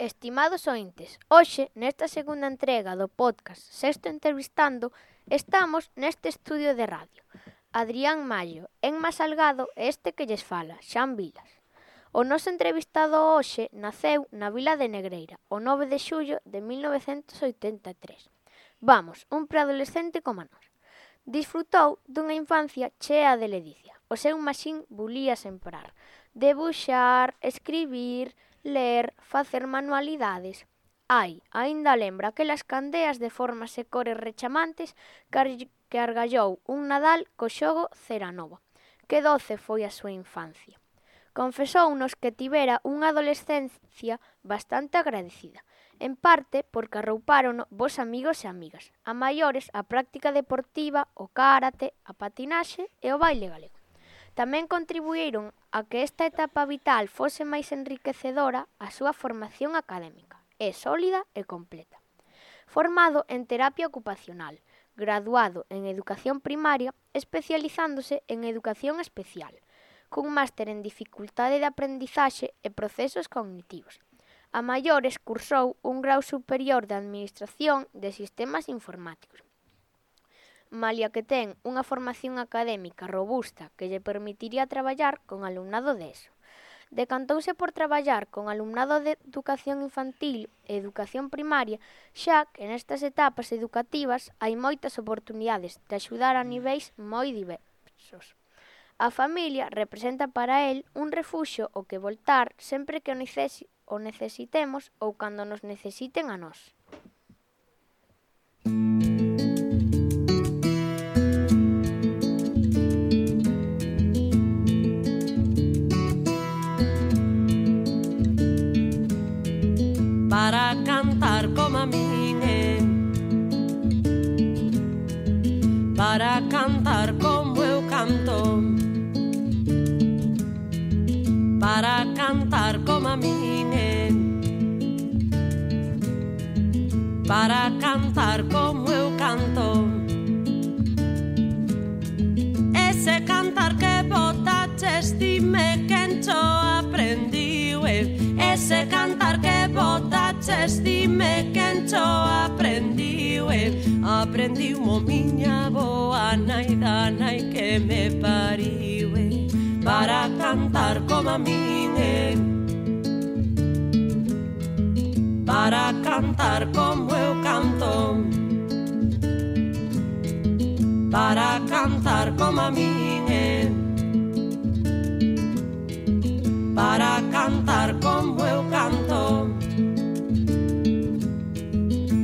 Estimados ointes, hoxe, nesta segunda entrega do podcast Sexto Entrevistando, estamos neste estudio de radio. Adrián Mallo, Enma Salgado e este que lles fala, Xan Vilas. O noso entrevistado hoxe naceu na vila de Negreira, o 9 de xullo de 1983. Vamos, un preadolescente como nós. Disfrutou dunha infancia chea de ledicia. O seu maxín bulía sen parar. Debuxar, escribir, ler, facer manualidades. Aínda lembra aquelas candeas de formas e cores rechamantes que argallou un Nadal co xogo Ceranova. Que doce foi a súa infancia. Confesounos que tivera unha adolescencia bastante agradecida, en parte porque arroupárono vos amigos e amigas, a maiores a práctica deportiva, o karate, a patinaxe e o baile galego. Tamén contribuíron a que esta etapa vital fose máis enriquecedora a súa formación académica, é sólida e completa. Formado en terapia ocupacional, graduado en educación primaria, especializándose en educación especial, cun máster en dificultade de aprendizaxe e procesos cognitivos. A maiores cursou un grau superior de Administración de Sistemas Informáticos. Malia que ten unha formación académica robusta que lle permitiría traballar con alumnado de ESO. Decantouse por traballar con alumnado de educación infantil e educación primaria, xa que nestas etapas educativas hai moitas oportunidades de axudar a niveis moi diversos. A familia representa para el un refuxio ao que voltar sempre que o necesitemos ou cando nos necesiten a nós. Para cantar como a min, para cantar como eu canto, para cantar como a min, para cantar como eu canto. Ese cantar que botaches, dime quen cho aprendiu, ese cantar que botaches, dime quen cho aprendiu, aprendiu mo miña boa nai da nai que me pariu, para cantar como a min, para cantar como eu canto, para cantar como a min, para cantar como eu canto.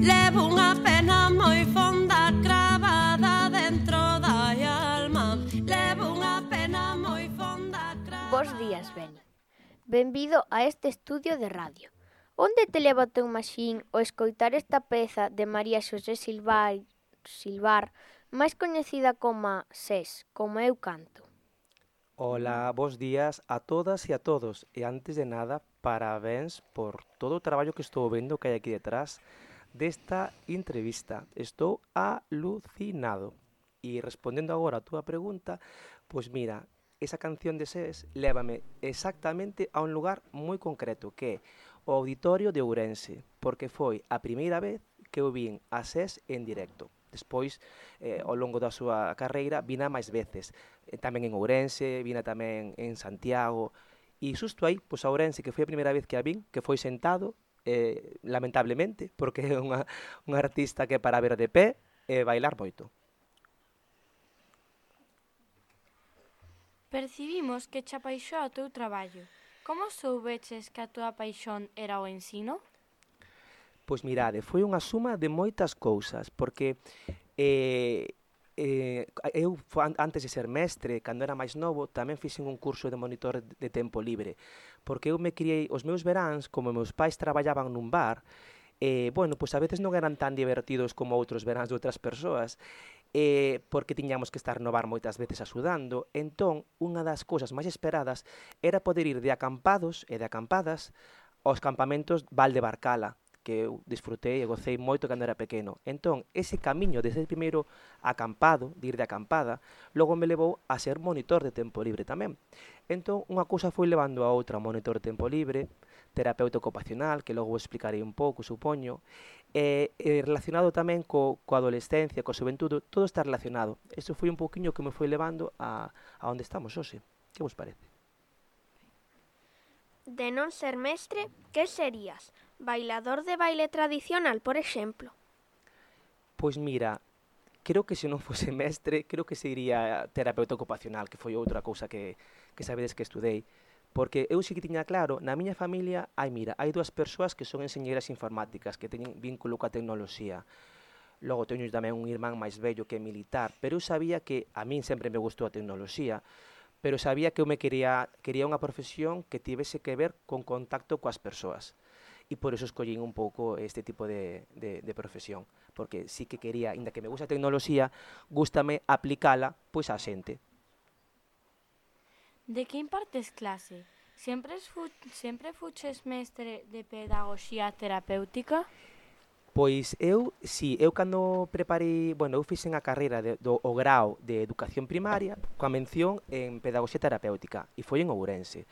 Levo unha pena moi fonda cravada dentro da alma, levo unha pena moi fonda cravada. Bos días, Beni. Benvido a este estudio de radio. Onde te leva o teu maxín o escoitar esta peza de María Xosé Silvar, máis coñecida como SES, como eu canto? Ola, bos días a todas e a todos. E antes de nada, parabéns por todo o traballo que estou vendo que hai aquí detrás desta entrevista. Estou alucinado. E respondendo agora a túa pregunta, pois mira, esa canción de SES lévame exactamente a un lugar moi concreto, que é o Auditorio de Ourense, porque foi a primeira vez que eu vin a SES en directo. Despois, ao longo da súa carreira, vina máis veces. Tamén en Ourense, vina tamén en Santiago. E xusto aí, pois a Ourense, que foi a primeira vez que a vin, que foi sentado, lamentablemente, porque é unha artista que é para ver de pé e bailar moito. Percibimos que che apaixoa o teu traballo. Como soubeches que a túa paixón era o ensino? Pois mirade, foi unha suma de moitas cousas, porque eu, antes de ser mestre, cando era máis novo, tamén fixen un curso de monitor de tempo libre, porque eu me criei os meus veráns, como meus pais traballaban nun bar, bueno, pois a veces non eran tan divertidos como outros veráns de outras persoas, porque tiñamos que estar no bar moitas veces axudando. Entón, unha das cousas máis esperadas era poder ir de acampados e de acampadas aos campamentos Valdebarcala, que eu disfrutei e gocei moito cando era pequeno. Entón, ese camiño desde o primeiro acampado, de ir de acampada, logo me levou a ser monitor de tempo libre tamén. Entón, unha cousa foi levando a outra, monitor de tempo libre, terapeuta ocupacional, que logo vos explicarei un pouco, supoño, relacionado tamén coa adolescencia, coa xuventude, todo está relacionado. Eso foi un pouquiño que me foi levando a onde estamos hoxe. Que vos parece? De non ser mestre, que serías? Bailador de baile tradicional, por exemplo. Pois mira, creo que se non fose mestre, creo que sería terapeuta ocupacional, que foi outra cousa que sabedes que estudei. Porque eu sí que tiña claro, na miña familia hai dúas persoas que son enxeñeiras informáticas, que teñen vínculo coa tecnoloxía. Logo teño tamén un irmán máis vello que é militar, pero eu sabía que a min sempre me gustou a tecnoloxía, pero sabía que eu quería unha profesión que tivese que ver con contacto coas persoas. E por eso escollín un pouco este tipo de profesión, porque sí que quería, inda que me gusta a tecnoloxía, gústame aplicala pois á xente. De que impartes clase? Sempre fuches mestre de pedagogía terapéutica? Pois eu cando preparei, eu fixen a carreira o grao de educación primaria coa mención en pedagogía terapéutica e foi en Ourense.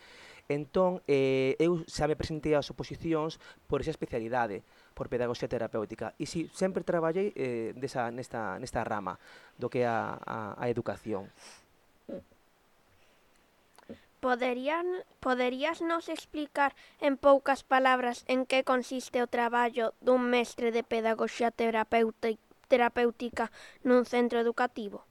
Entón, eu xa me presentei ás oposicións por esa especialidade, por pedagogía terapéutica. E si, sempre traballei nesta rama do que é a educación. Poderías nos explicar en poucas palabras en que consiste o traballo dun mestre de pedagogía terapéutica nun centro educativo?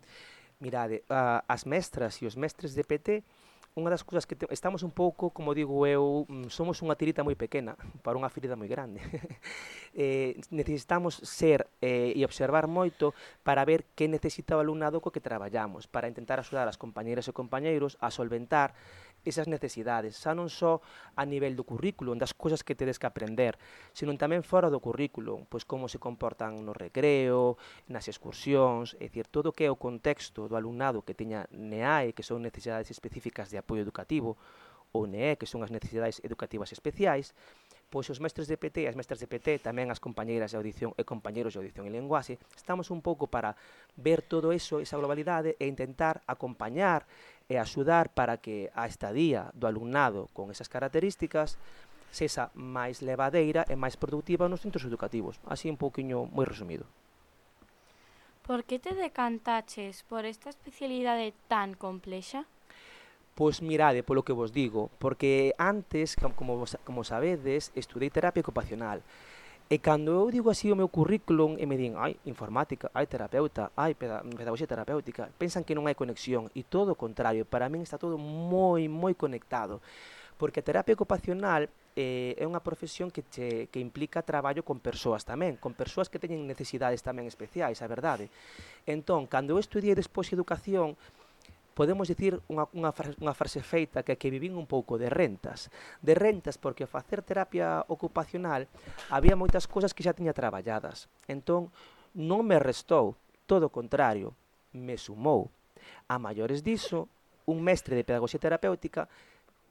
Mirade, as mestras e os mestres de PT, unha das cousas que estamos un pouco, como digo eu, somos unha tirita moi pequena para unha ferida moi grande. Necesitamos ser e observar moito para ver que necesita o alumnado co que traballamos, para intentar axudar as compañeiras e compañeiros a solventar esas necesidades, xa non só a nivel do currículo, das cousas que tedes que aprender, senón tamén fora do currículo, pois como se comportan no recreo, nas excursións, é dicir, todo o que é o contexto do alumnado que teña NEAE, que son necesidades específicas de apoio educativo, ou NEE, que son as necesidades educativas especiais, pois os mestres de PT e as mestras de PT, tamén as compañeiras de audición e compañeiros de audición e lenguaxe, estamos un pouco para ver todo eso, esa globalidade, e intentar acompañar e axudar para que a estadía do alumnado con esas características sexa máis levadeira e máis productiva nos centros educativos. Así un pouquiño moi resumido. Por que te decantaches por esta especialidade tan complexa? Pois mirade, polo que vos digo, porque antes, como sabedes, estudei terapia ocupacional. E cando eu digo así o meu currículum e me din, informática, terapeuta, pedagogía terapéutica, pensan que non hai conexión, e todo o contrario, para min está todo moi, moi conectado, porque a terapia ocupacional é unha profesión que implica traballo con persoas tamén, con persoas que teñen necesidades tamén especiais, a verdade. Entón, cando eu estudiei despois educación, podemos dicir unha frase feita que vivín un pouco de rentas porque ao facer terapia ocupacional había moitas cousas que xa tiña traballadas, entón non me restou, todo o contrario, me sumou. A maiores diso, un mestre de pedagogía terapéutica,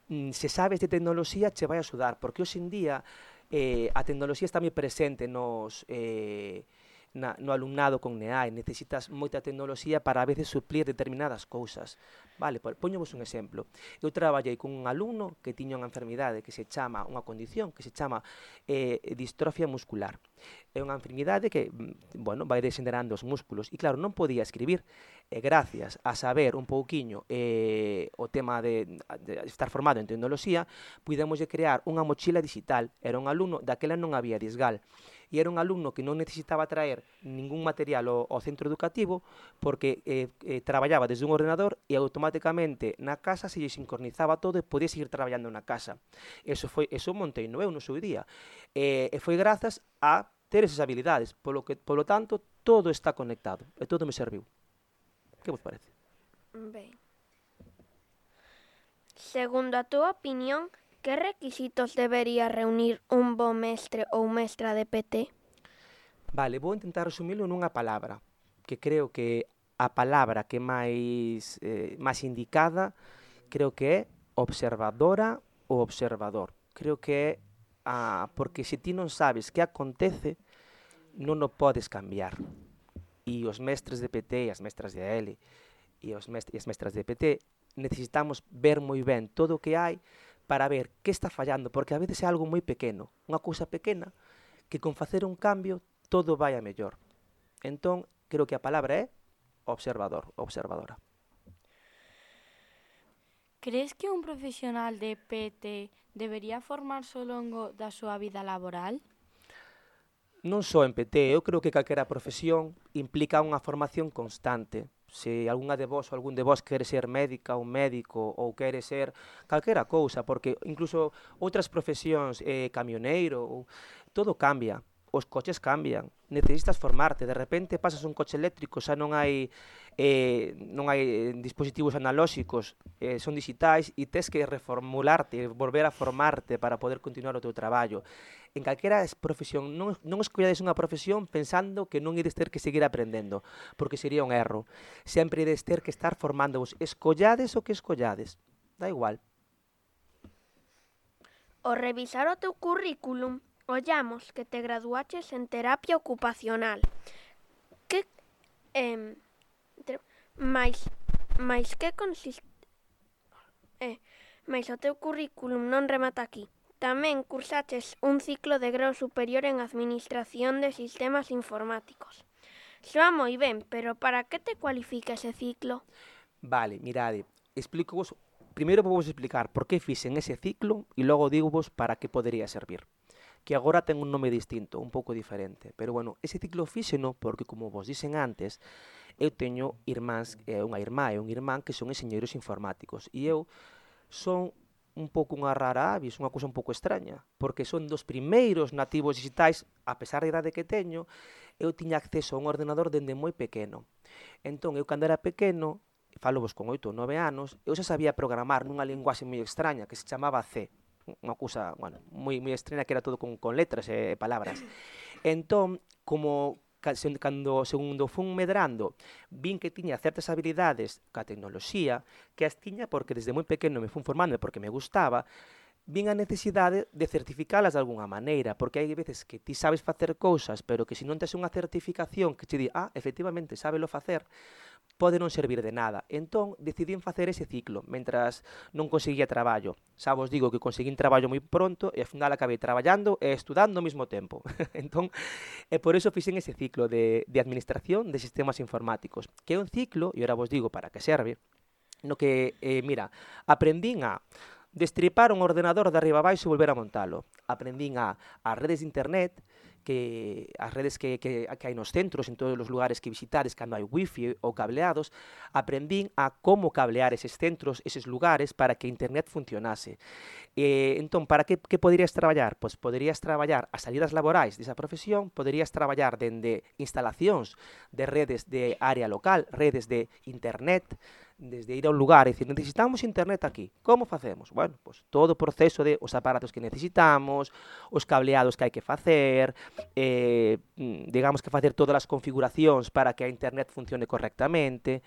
se sabes de tecnoloxía, che vai axudar, porque hoxe en día a tecnoloxía está moi presente no alumnado con NEAE, necesitas moita tecnoloxía para a veces suplir determinadas cousas. Vale, poñemos un exemplo. Eu traballei con un alumno que tiña unha enfermidade que se chama, unha condición que se chama distrofia muscular. É unha enfermidade que, vai degenerando os músculos e claro, non podía escribir. E gracias a saber un pouquiño o tema de estar formado en tecnoloxía, pudemos crear unha mochila digital. Era un alumno, daquela non había disgal, e era un alumno que non necesitaba traer ningún material ao centro educativo porque traballaba desde un ordenador e automáticamente na casa se lle sincronizaba todo e podía seguir traballando na casa. Eso montei eu no seu día. E foi grazas a ter esas habilidades, polo tanto, todo está conectado e todo me serviu. Que vos parece? Ben. Segundo a túa opinión, que requisitos debería reunir un bo mestre ou mestra de PT? Vale, vou intentar resumilo nunha palabra, que creo que a palabra que máis indicada, creo que é observadora ou observador. Creo que é porque se ti non sabes que acontece, non o podes cambiar. E os mestres de PT e as mestras de AL e as mestras de PT necesitamos ver moi ben todo o que hai para ver que está fallando, porque a veces é algo moi pequeno, unha cousa pequena, que con facer un cambio todo vai a mellor. Entón, creo que a palabra é observador, observadora. Crees que un profesional de PT debería formarse ao longo da súa vida laboral? Non só en PT, eu creo que calquera profesión implica unha formación constante. Se algunha de vos ou algún de vos quere ser médica ou médico ou quere ser calquera cousa, porque incluso outras profesións, camioneiro, todo cambia. Os coches cambian, necesitas formarte, de repente pasas un coche eléctrico, xa non hai dispositivos analóxicos, son digitais e tes que reformularte, volver a formarte para poder continuar o teu traballo. En calquera profesión, non escollades unha profesión pensando que non ides ter que seguir aprendendo, porque sería un erro. Sempre ides ter que estar formándovos, escollades o que escollades, da igual. Ao revisar o teu currículum, ollamos que te graduaches en terapia ocupacional. Que mais que consiste? Mais o teu currículum non remata aquí. Tamén cursaches un ciclo de grau superior en Administración de Sistemas Informáticos. Soa moi ben, pero para que te cualifica ese ciclo? Vale, mirade, explícovos. Primeiro vou vos explicar por que fixen ese ciclo e logo digo-vos para que podería servir. Que agora ten un nome distinto, un pouco diferente. Pero, bueno, ese ciclo fíxeno porque, como vos dixen antes, eu teño irmáns, unha irmá e un irmán que son enxeñeiros informáticos. E eu son un pouco unha rara avis, unha cousa un pouco extraña, porque son dos primeiros nativos digitais, a pesar da idade que teño, eu tiña acceso a un ordenador dende moi pequeno. Entón, eu cando era pequeno, falo vos con 8 ou 9 anos, eu xa sabía programar nunha linguaxe moi extraña que se chamaba C. Unha cousa, bueno, moi extraña que era todo con letras e palabras. Entón, como segundo fun medrando, vin que tiña certas habilidades ca tecnoloxía, que as tiña porque desde moi pequeno me fun formando porque me gustaba, vin a necesidade de certificalas de algunha maneira, porque hai veces que ti sabes facer cousas, pero que se non tes unha certificación que te di, efectivamente, sábelo facer, pode non servir de nada. Entón, decidín facer ese ciclo, mentras non conseguía traballo. Xa vos digo que conseguín traballo moi pronto e ao final acabei traballando e estudando ao mesmo tempo. Entón, por eso fixen ese ciclo de Administración de Sistemas Informáticos, que é un ciclo, e ora vos digo para que serve, no que, mira, aprendín a destripar un ordenador de arriba abaixo e volver a montalo. Aprendín as redes de internet, as redes que hai nos centros, en todos os lugares que visitades, cando hai wifi ou cableados, aprendín a como cablear eses centros, eses lugares, para que internet funcionase. Entón, para que poderías traballar? Pois poderías traballar as salidas laborais desa profesión, poderías traballar dende instalacións de redes de área local, redes de internet, desde ir a un lugar e dicir, necesitamos internet aquí. Como facemos? Bueno, pues todo o proceso de os aparatos que necesitamos, os cableados que hai que facer, digamos que facer todas as configuracións para que a internet funcione correctamente.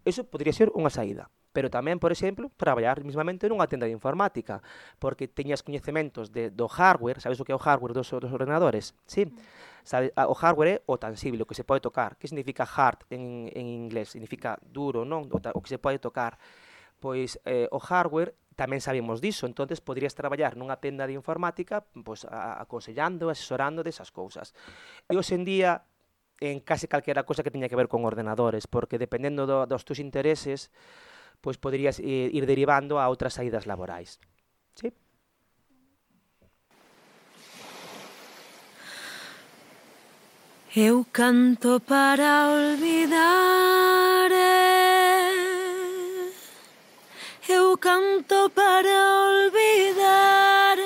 Eso podría ser unha saída. Pero tamén, por exemplo, traballar mismamente nunha tenda de informática, porque teñas coñecementos do hardware, sabes o que é o hardware dos ordenadores? Sí. Sabe, o hardware é o tangible, o que se pode tocar. Que significa hard en inglés? Significa duro, non? O que se pode tocar. Pois o hardware tamén sabemos diso, entonces poderías traballar nunha tenda de informática pois, aconsellando, asesorando desas cousas. E hoxe en día, en case calquera cosa que teña que ver con ordenadores, porque dependendo dos teus intereses, pois poderías ir derivando a outras saídas laborais. Sí? Eu canto para olvidar, eu canto para olvidar,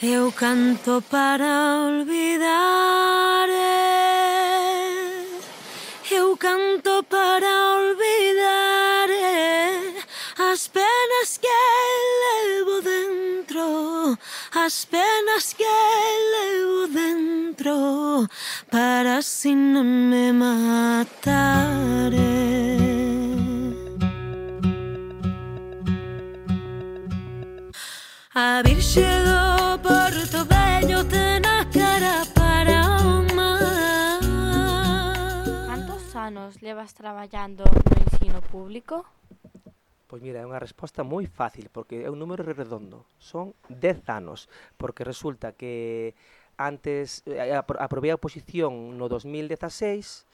eu canto para olvidar, eu canto para olvidar as penas que levo dentro, as penas que levo dentro, para así non me matare. A Virxe do Porto Vello ten a cara para o mar. Cantos anos levas traballando no ensino público? Pois mira, é unha resposta moi fácil, porque é un número redondo. Son 10 anos, porque resulta que antes aprobei a oposición no 2016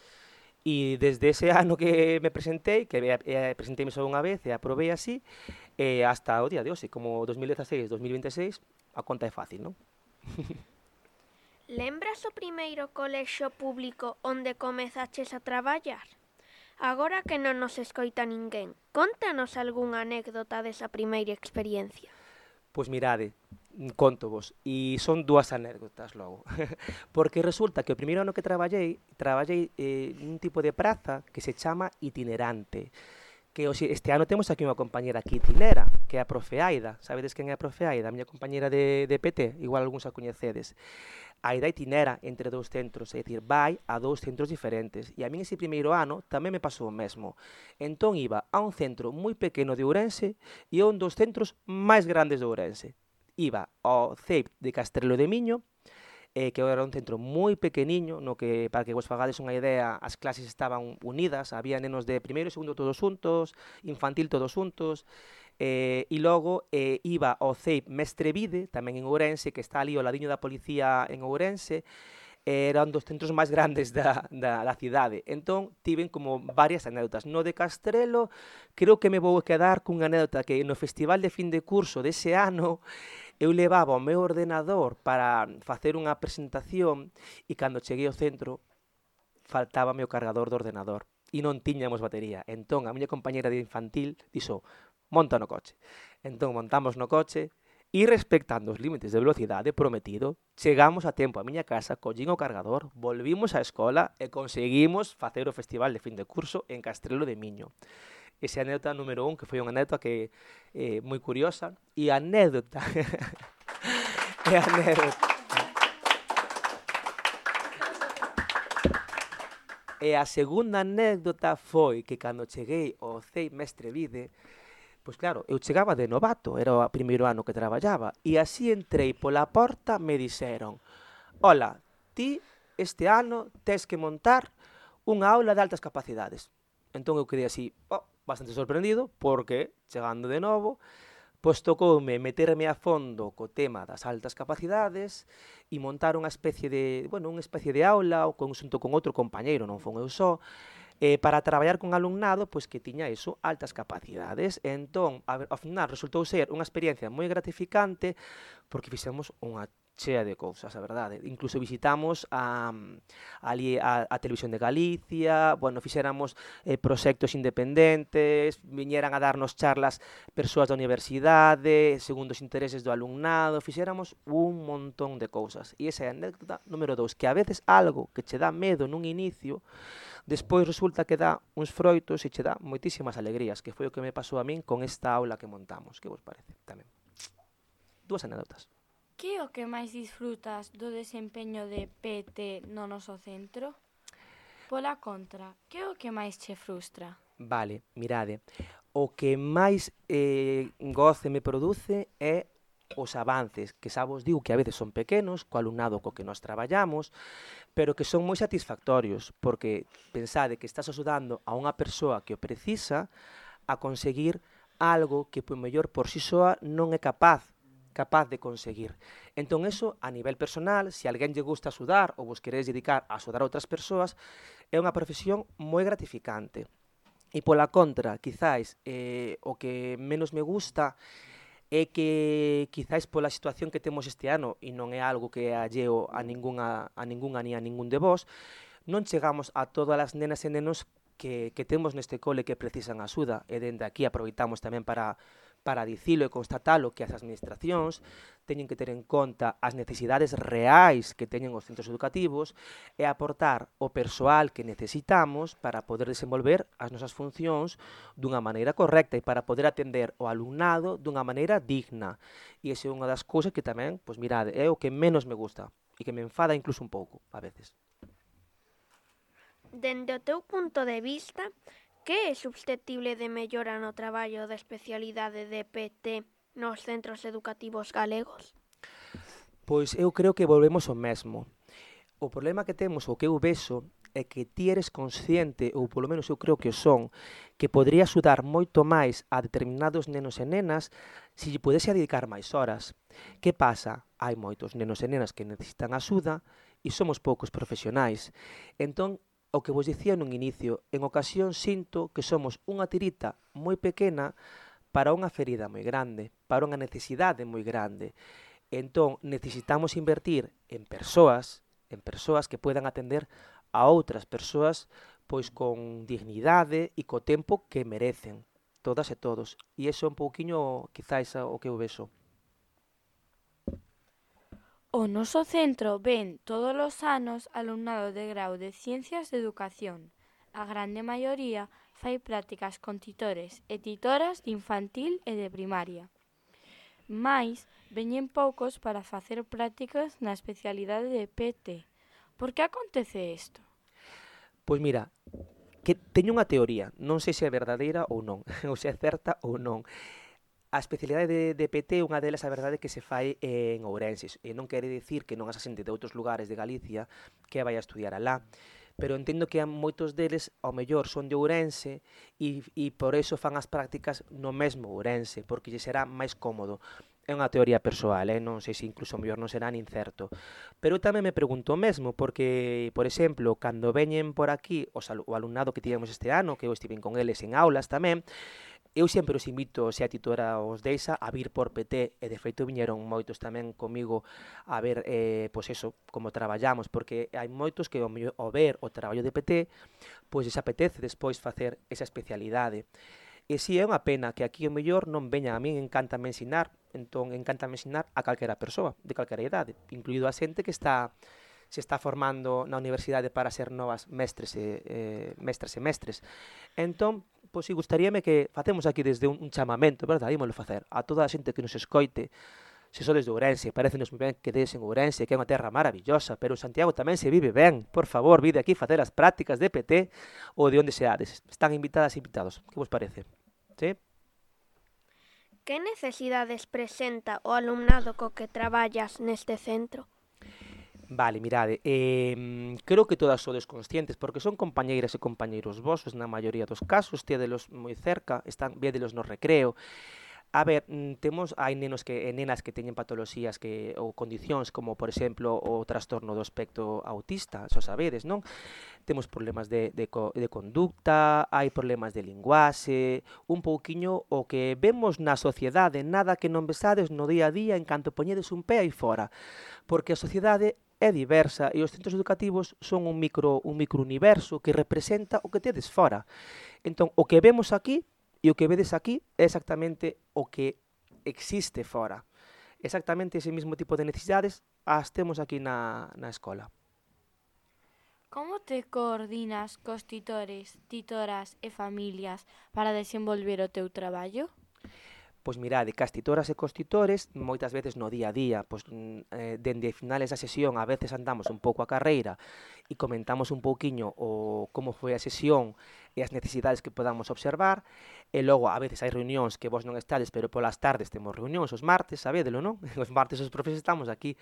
e desde ese ano que me presentei, que presenteime só unha vez e aprobei así, hasta o día de hoxe, como 2016-2026, a conta é fácil, non? Lembras o primeiro colexio público onde comezaches a traballar? Agora que non nos escoita ninguén, contanos algunha anécdota desa primeira experiencia. Pois mirade, contovos, e son dúas anécdotas logo. Porque resulta que o primeiro ano que traballei nun tipo de praza que se chama itinerante. Que este ano temos aquí unha compañera que itinera, que é a profe Aida. Sabedes quen é a profe Aida? A miña compañera de PT, igual algúns a coñecedes. Aida itinera entre dous centros, é dicir, vai a dous centros diferentes. E a min ese primeiro ano tamén me pasou o mesmo. Entón iba a un centro moi pequeno de Ourense e a un dos centros máis grandes de Ourense. Iba ao CEIP de Castrelo de Miño, que era un centro moi pequeniño, no que, para que vos fagades unha idea, as clases estaban unidas, había nenos de primeiro e segundo todos juntos, infantil todos juntos, e logo iba ao CEIP Mestrevide, tamén en Ourense, que está ali ao ladiño da policía en Ourense, era un dos centros máis grandes da cidade. Entón, tiven como varias anécdotas. No de Castrelo, creo que me vou quedar cunha anécdota que no festival de fin de curso dese ano, eu levaba o meu ordenador para facer unha presentación e cando cheguei ao centro faltábame o cargador do ordenador e non tiñamos batería. Entón a miña compañera de infantil dixo, monta no coche. Entón montamos no coche e respectando os límites de velocidade prometido, chegamos a tempo a miña casa, collín o cargador, volvimos á escola e conseguimos facer o festival de fin de curso en Castrelo de Miño. Esa anécdota número 1, que foi unha anécdota que moi curiosa, e a anécdota e a segunda anécdota foi que cando cheguei ao CEIP Mestrevide, pois claro, eu chegaba de novato, era o primeiro ano que traballaba, e así entrei pola porta, me dixeron, hola, ti este ano tes que montar unha aula de altas capacidades. Entón eu quedei así, bastante sorprendido, porque, chegando de novo, pois tocoume meterme a fondo co tema das altas capacidades e montar unha especie de aula xunto con outro compañeiro, non fon eu só, para traballar con alumnado pois que tiña iso, altas capacidades. Entón, ao final resultou ser unha experiencia moi gratificante porque fixemos unha chea de cousas, a verdade. Incluso visitamos ali a Televisión de Galicia, fixéramos proxectos independentes, viñeran a darnos charlas persoas da universidade, segundo os intereses do alumnado, fixéramos un montón de cousas. E esa é a anécdota número 2, que a veces algo que che dá medo nun inicio, despois resulta que dá uns froitos e che dá moitísimas alegrías, que foi o que me pasou a min con esta aula que montamos. Que vos parece? Tamén. Dúas anécdotas. Que é o que máis disfrutas do desempeño de PT no noso centro? Pola contra, que é o que máis che frustra? Vale, mirade, o que máis goce me produce é os avances, que xa vos digo que a veces son pequenos, co alumnado co que nós traballamos, pero que son moi satisfactorios, porque pensade que estás axudando a unha persoa que o precisa a conseguir algo que, por mellor, por si soa non é capaz de conseguir. Entón, eso, a nivel personal, se alguén lle gusta axudar ou vos queredes dedicar a axudar a outras persoas, é unha profesión moi gratificante. E pola contra, quizáis, o que menos me gusta é que, quizáis pola situación que temos este ano, e non é algo que é alleo a ningunha ni a ningún de vos, non chegamos a todas as nenas e nenos que temos neste cole que precisan axuda, e dende aquí aproveitamos tamén para dicilo e constatalo que as administracións teñen que ter en conta as necesidades reais que teñen os centros educativos e aportar o persoal que necesitamos para poder desenvolver as nosas funcións dunha maneira correcta e para poder atender o alumnado dunha maneira digna. E esa é unha das cousas que tamén, pois mirade, é o que menos me gusta e que me enfada incluso un pouco, a veces. Dende o teu punto de vista, que é susceptible de mellora no traballo da especialidade de PT nos centros educativos galegos? Pois eu creo que volvemos ao mesmo. O problema que temos, o que eu vexo, e que ti eres consciente, ou polo menos eu creo que o son, que podría axudar moito máis a determinados nenos e nenas se lle pudese dedicar máis horas. Que pasa? Hai moitos nenos e nenas que necesitan axuda e somos poucos profesionais. Entón, o que vos dicía nun inicio, en ocasión sinto que somos unha tirita moi pequena para unha ferida moi grande, para unha necesidade moi grande. Entón, necesitamos invertir en persoas que puedan atender a outras persoas pois con dignidade e co tempo que merecen, todas e todos. E iso é un pouquiño, quizáis, o que eu vexo. O noso centro ven todos os anos alumnado de grau de Ciencias de Educación. A grande maioría fai prácticas con titores e titoras de infantil e de primaria. Mais veñen poucos para facer prácticas na especialidade de PT. Por que acontece isto? Pois mira, que teño unha teoría, non sei se é verdadeira ou non, ou se é certa ou non. A especialidade de PT, unha delas, a verdade, que se fai en Ourense, e non quere dicir que non haxa xente de outros lugares de Galicia que vai a estudiar alá, pero entendo que moitos deles, ao mellor, son de Ourense e por eso fan as prácticas no mesmo Ourense, porque lle será máis cómodo. É unha teoría persoal, non sei se incluso ao mellor non será nin certo. Pero eu tamén me pregunto o mesmo, porque, por exemplo, cando veñen por aquí o alumnado que tivemos este ano, que eu estive con eles en aulas tamén, eu sempre os invito, se a titora os deixa, a vir por PT, e de feito viñeron moitos tamén comigo a ver, pois eso, como traballamos, porque hai moitos que ao ver o traballo de PT, pois les apetece despois facer esa especialidade. E si é unha pena que aquí o mellor non veña, a min encántame ensinar, entón encántame ensinar a calquera persoa, de calquera idade, incluído a xente que se está formando na universidade para ser novas mestres e mestres. Entón, pois si gustaríame que facemos aquí desde un chamamento, verdad, ímolo facer, a toda a xente que nos escoite, se sodes de Ourense, parecenos moi ben que dedes en Ourense, que é unha terra maravillosa, pero en Santiago tamén se vive ben. Por favor, vide aquí facer as prácticas de PT ou de onde seades. Están invitadas e invitados. Que vos parece? Sí? Que necesidades presenta o alumnado co que traballas neste centro? Vale, mirade, creo que todas sodes conscientes, porque son compañeiras e compañeiros vosos na maioría dos casos, tédelos moi cerca, védelos no recreo. A ver, hai nenos e nenas que teñen patoloxías ou condicións como, por exemplo, o trastorno do espectro autista, xo sabedes, non? Temos problemas de conducta, hai problemas de linguaxe, un pouquiño o que vemos na sociedade, nada que non vesades no día a día en canto poñedes un pé aí fora, porque a sociedade é diversa e os centros educativos son un microuniverso que representa o que tedes fora. Entón, o que vemos aquí e o que vedes aquí é exactamente o que existe fora. Exactamente ese mismo tipo de necesidades as temos aquí na escola. Como te coordinas cos titores, titoras e familias para desenvolver o teu traballo? Pois mirade, cas titoras e cos titores, moitas veces no día a día, pois dende finales da sesión, a veces andamos un pouco a carreira e comentamos un pouquiño como foi a sesión e as necesidades que podamos observar, e logo a veces hai reunións que vos non estades, pero polas tardes temos reunións os martes, sabédelo, non? Os martes os profes estamos aquí,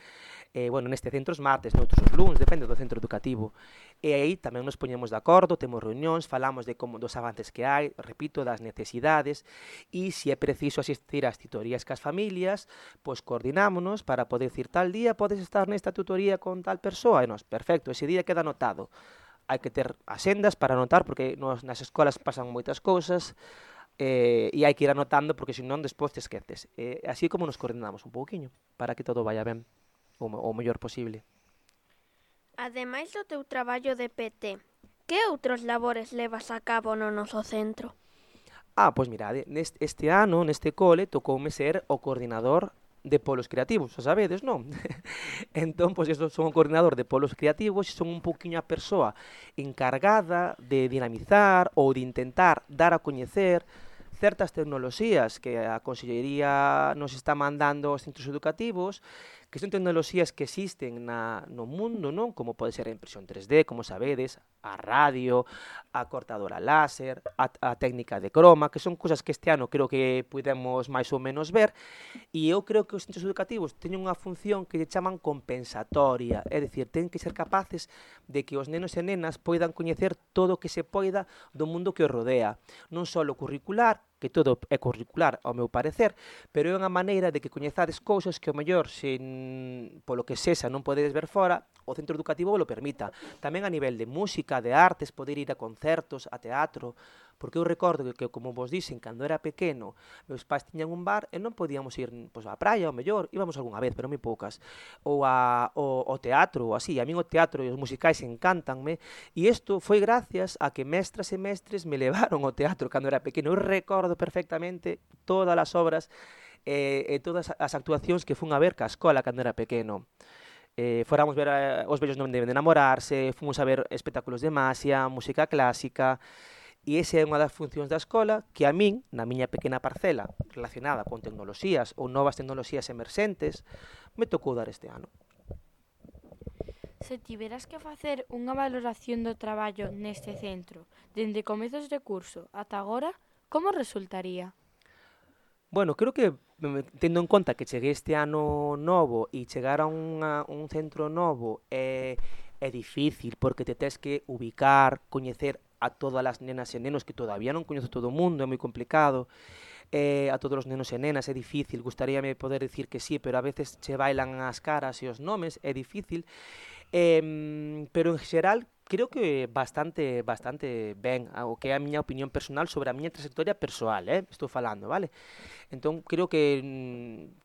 neste centro os martes, noutros os luns, depende do centro educativo, e aí tamén nos poñemos de acordo, temos reunións, falamos dos avances que hai, repito, das necesidades, e se é preciso asistir ás titorías cas familias, pois coordinámonos para poder decir tal día podes estar nesta tutoría con tal persoa, e nos, perfecto, ese día queda anotado. Hai que ter asendas para anotar, porque nas escolas pasan moitas cousas, e hai que ir anotando, porque senón despois te esqueces. Así como nos coordinamos un pouquiño, para que todo vaya ben, o mellor posible. Ademais do teu traballo de PT, que outros labores levas a cabo no noso centro? Pois mirade, este ano, neste cole, tocoume ser o coordinador de polos creativos, xa sabedes, non? Entón, pois, son o coordinador de polos creativos e son un pouquiño a persoa encargada de dinamizar ou de intentar dar a coñecer certas tecnoloxías que a Consellería nos está mandando aos centros educativos que son tecnoloxías que existen no mundo, non? Como pode ser a impresión 3D, como sabedes, a radio, a cortadora láser, a técnica de croma, que son cousas que este ano creo que pudemos máis ou menos ver, e eu creo que os centros educativos teñen unha función que lle chaman compensatoria, é dicir, ten que ser capaces de que os nenos e nenas poidan coñecer todo o que se poida do mundo que os rodea, non só o curricular, que todo é curricular, ao meu parecer, pero é unha maneira de que coñezades cousas que, ao mellor, polo que sexa, non podedes ver fora, o centro educativo lo permita. Tamén a nivel de música, de artes, poder ir a concertos, a teatro, porque eu recordo que como vos dixen, cando era pequeno, meus pais tiñan un bar e non podíamos ir á praia, ao mellor, íbamos algunha vez, pero moi poucas, ou ao teatro, ou así. A min o teatro e os musicais encántanme, e isto foi gracias a que mestras e mestres me levaron ao teatro cando era pequeno. Eu recordo perfectamente todas as obras e todas as actuacións que fun a ver ca escola cando era pequeno. Fóramos ver Os vellos non deben de namorarse, fomos a ver espectáculos de magia, música clásica, e esa é unha das funcións da escola que a min, na miña pequena parcela relacionada con tecnoloxías ou novas tecnoloxías emerxentes, me tocou dar este ano. Se tiveras que facer unha valoración do traballo neste centro, dende comezos de curso ata agora, como resultaría? Bueno, creo que, tendo en conta que cheguei este ano novo e chegar a un centro novo é difícil, porque te tes que ubicar, coñecer a todas as nenas e nenos, que todavía non coñezo todo o mundo, é moi complicado, a todos os nenos e nenas é difícil, gustaríame poder dicir que sí, pero a veces che bailan as caras e os nomes, é difícil, pero en xeral creo que bastante ben, o que é a miña opinión personal sobre a miña trayectoria persoal, estou falando, vale? Entón, creo que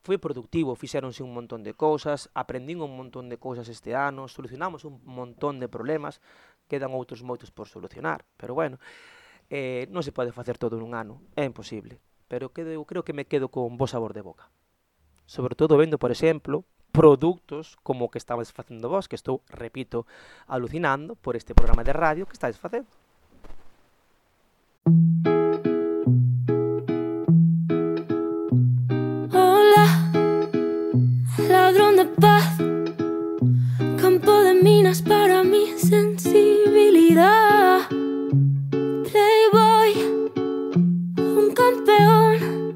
foi productivo, fixéronse un montón de cousas, aprendín un montón de cousas este ano, solucionamos un montón de problemas, quedan outros moitos por solucionar, pero bueno, non se pode facer todo nun ano, é imposible, pero creo que me quedo con bo sabor de boca. Sobre todo vendo, por exemplo, produtos como o que estabas facendo vos, que estou, repito, alucinando por este programa de radio que estáis facendo. Hola, ladrón de paz, campo de minas para mi sensibilidad. Playboy, un campeón,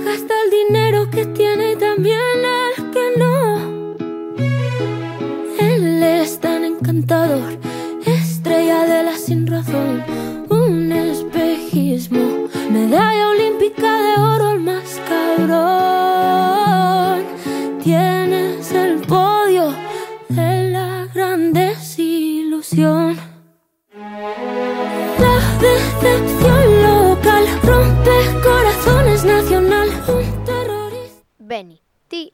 gasta el dinero que tiene y también el que no. Él es tan encantador, estrella de la sin razón, un espejismo, medalla olímpica de oro, el más cabrón. Tienes el podio de la gran desilusión. La decepción local rompe corazones nacional, un terrorista. Beni, ti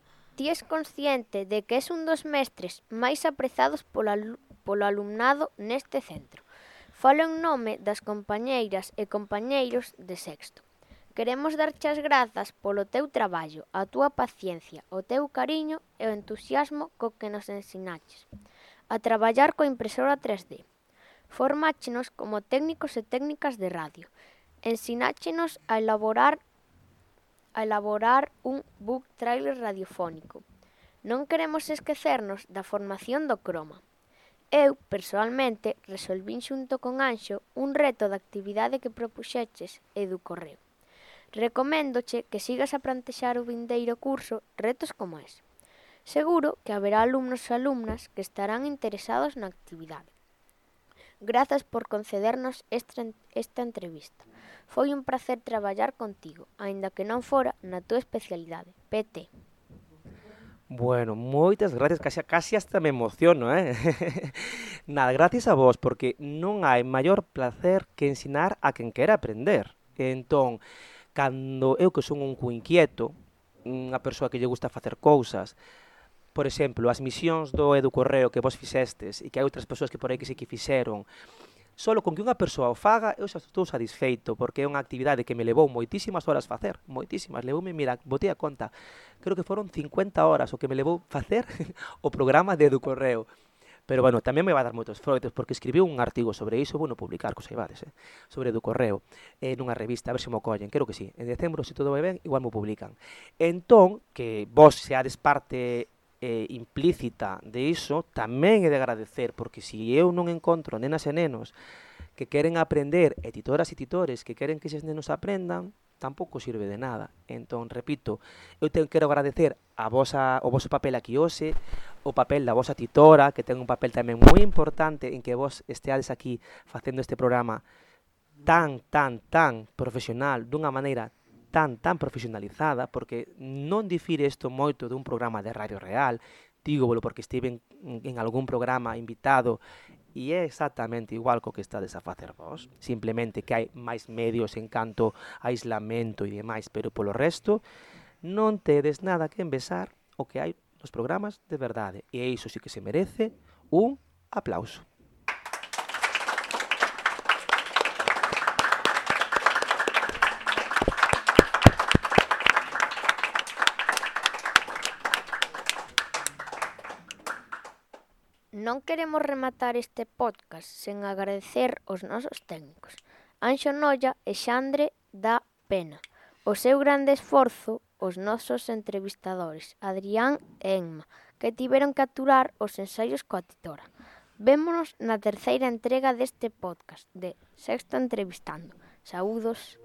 es consciente de que es un dos mestres máis aprezados polo alumnado neste centro. Falo en nome das compañeiras e compañeiros de sexto. Queremos darche as grazas polo teu traballo, a túa paciencia, o teu cariño e o entusiasmo co que nos ensinaches a traballar coa impresora 3D. Formáchenos como técnicos e técnicas de radio. Ensináchenos a elaborar un book trailer radiofónico. Non queremos esquecernos da formación do croma. Eu, persoalmente, resolvín xunto con Anxo un reto de actividade que propuxeches e do correo. Recoméndoche que sigas a plantexar o vindeiro curso retos como ese. Seguro que haberá alumnos e alumnas que estarán interesados na actividade. Grazas por concedernos esta entrevista. Foi un placer traballar contigo, aínda que non fora na túa especialidade, PT. Bueno, moitas gracias, casi hasta me emociono, Nada, gracias a vos, porque non hai maior placer que ensinar a quen quera aprender. Entón, cando eu que son un inquieto, unha persoa que lle gusta facer cousas, por exemplo, as misións do Educorreo que vos fixestes e que hai outras persoas que por aí que sí que fixeron, solo con que unha persoa o faga, eu xa estou satisfeito, porque é unha actividade que me levou moitísimas horas facer, moitísimas, levoume, mira, botei a conta, creo que foron 50 horas o que me levou facer o programa de Educorreo. Pero, bueno, tamén me vai dar moitos froitos, porque escribiu un artigo sobre iso, bueno, publicar, que saibades, sobre do correo, nunha revista, a ver se mo collen, creo que sí. En decembro, se todo vai ben, igual mo publican. Entón, que vos seades parte implícita de iso, tamén é de agradecer, porque se eu non encontro nenas e nenos que queren aprender, e titoras e titores que queren que eses nenos aprendan, tampouco sirve de nada. Entón, repito, eu quero agradecer o voso papel aquí hoxe, o papel da vosa titora, que ten un papel tamén moi importante en que vos esteades aquí facendo este programa tan profesional, dunha maneira tan profesionalizada, porque non difire isto moito dun programa de Radio Real, dígovolo porque estive en algún programa invitado, e é exactamente igual co que estades a facer vos, simplemente que hai máis medios en canto a aislamento e demais, pero polo resto non tedes nada que envesar o que hai nos programas de verdade, e iso sí que se merece un aplauso. Non queremos rematar este podcast sen agradecer aos nosos técnicos, Anxo Noia e Xandre da Pena. O seu grande esforzo, os nosos entrevistadores, Adrián e Enma, que tiveron que aturar os ensaios coa titora. Vémonos na terceira entrega deste podcast de Sexto Entrevistando. Saúdos.